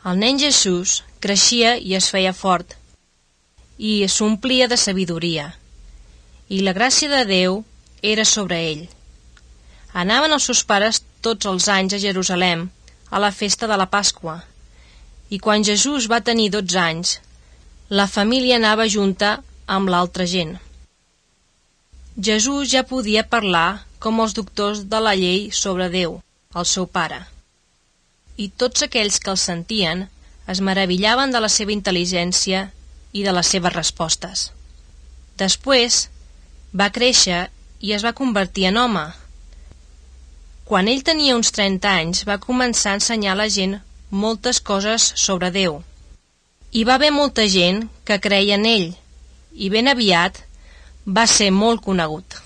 El nen Jesús creixia i es feia fort, i s'omplia de sabidoria, i la gràcia de Déu era sobre ell. Anaven els seus pares tots els anys a Jerusalem a la festa de la Pasqua, i quan Jesús va tenir 12 anys, la família anava junta amb l'altra gent. Jesús ja podia parlar com els doctors de la llei sobre Déu, el seu pare, i tots aquells que el sentien es meravillaven de la seva intel·ligència i de les seves respostes. Després va créixer i es va convertir en home. Quan ell tenia uns 30 anys va començar a ensenyar a la gent moltes coses sobre Déu. Hi va haver molta gent que creia en ell i ben aviat va ser molt conegut.